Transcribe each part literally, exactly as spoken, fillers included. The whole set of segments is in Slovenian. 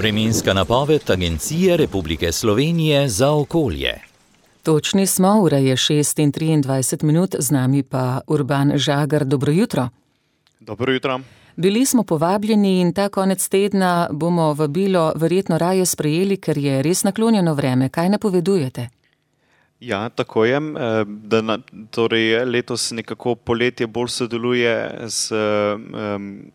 Vremenska napoved Agencije Republike Slovenije za okolje. Točni smo, ura je šest in triindvajset minut, z nami pa Urban Žagar. Dobro jutro. Dobro jutro. Bili smo povabljeni in ta konec tedna bomo vabilo verjetno raje sprejeli, ker je res naklonjeno vreme. Kaj napovedujete? Ja, tako je. Da na, torej letos nekako poletje bolj sodeluje s um,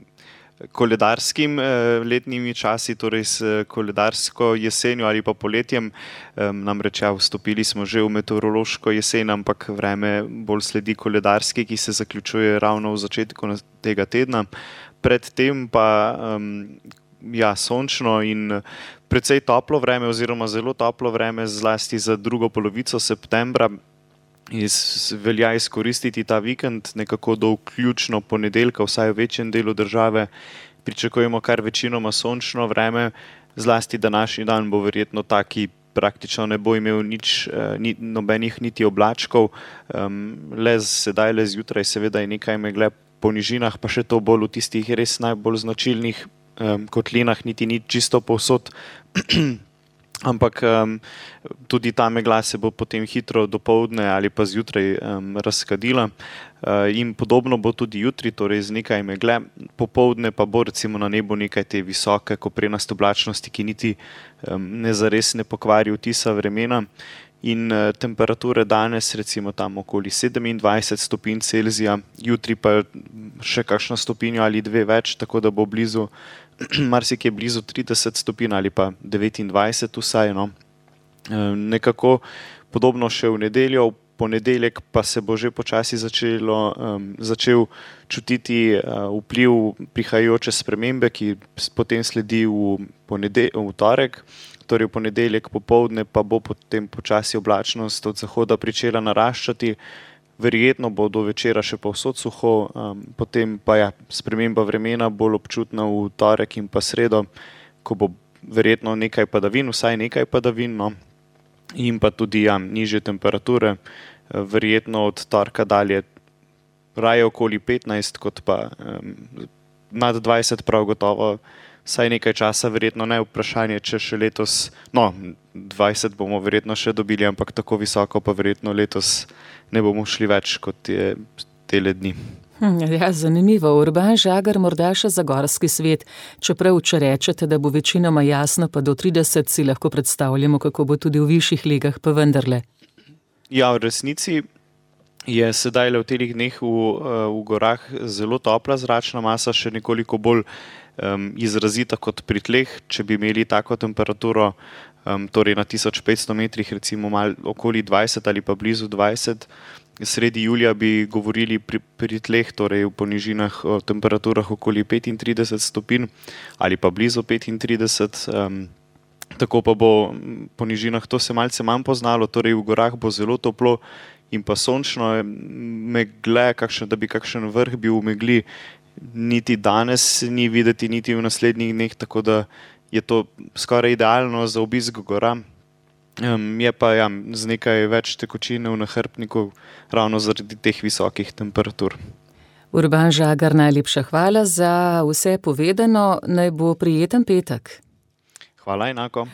koledarskim letnimi časi, torej s koledarsko jesenjo ali pa poletjem. Namreč ja, vstopili smo že v meteorološko jesen, ampak vreme bolj sledi koledarski, ki se zaključuje ravno v začetku tega tedna. Predtem pa um, ja, sončno in precej toplo vreme oziroma zelo toplo vreme, zlasti za drugo polovico septembra. Iz, velja izkoristiti ta vikend, nekako do vključno ponedeljka, vsaj v večjem delu države pričakujemo kar večinoma sončno vreme, zlasti današnji dan bo verjetno taki, praktično ne bo imel nič, ni, nobenih niti oblačkov, um, le sedaj, le zjutraj seveda je nekaj megle po nižinah, pa še to bolj v tistih res najbolj značilnih um, kotlinah, niti ni čisto povsod. Ampak um, tudi ta megla se bo potem hitro dopoldne ali pa zjutraj um, razkadila uh, in podobno bo tudi jutri, torej z nekaj megle, popoldne pa bo recimo na nebu nekaj te visoke koprenaste oblačnosti, ki niti um, ne zares ne pokvari vtisa vremena in uh, temperature danes recimo tam okoli sedemindvajset stopinj Celzija, jutri pa še kakšno stopinjo ali dve več, tako da bo blizu marsikje blizu trideset stopinj ali pa devetindvajset vsaj. No. Nekako podobno še v nedeljo, v ponedeljek pa se bo že počasi začelo, um, začel čutiti uh, vpliv prihajajoče spremembe, ki potem sledi v, ponedel- v torek. Torej v ponedeljek popoldne pa bo potem počasi oblačnost od zahoda pričela naraščati. Verjetno bo do večera še povsod suho, um, potem pa ja, sprememba vremena bolj občutna v torek in pa sredo, ko bo verjetno nekaj padavin, vsaj nekaj padavin, no, in pa tudi ja, nižje temperature, verjetno od torka dalje raje okoli petnajst, kot pa um, nad dvajset prav gotovo, vsaj nekaj časa, verjetno ne vprašanje, če še letos, no, dvajset bomo verjetno še dobili, ampak tako visoko pa verjetno letos ne bomo šli več kot je tele dni. Hm, ja, zanimivo. Urban Žagar, morda še za gorski svet. Čeprav, če rečete, da bo večinoma jasno, pa do trideset si lahko predstavljamo, kako bo tudi v višjih legah, pa vendarle. Ja, v resnici je sedaj le v telih dneh v, v gorah zelo topla zračna masa, še nekoliko bolj um, izrazita kot pri tleh. Če bi imeli tako temperaturo, um, torej na tisoč petsto metrih, recimo mal okoli dvajset ali pa blizu dvajset, sredi julija bi govorili pri, pri tleh, torej v ponižinah o temperaturah okoli petintrideset stopinj ali pa blizu petintrideset. Um, tako pa bo po nižinah to se malce manj poznalo, torej v gorah bo zelo toplo in pa sončno, megle, kakšen, da bi kakšen vrh bil v megli, niti danes ni videti, niti v naslednjih dneh, tako da je to skoraj idealno za obisk gora. Um, je pa ja, z nekaj več tekočine v nahrbtniku, ravno zaradi teh visokih temperatur. Urban Žagar, najlepša hvala za vse povedano, naj bo prijeten petek. Hvala enako.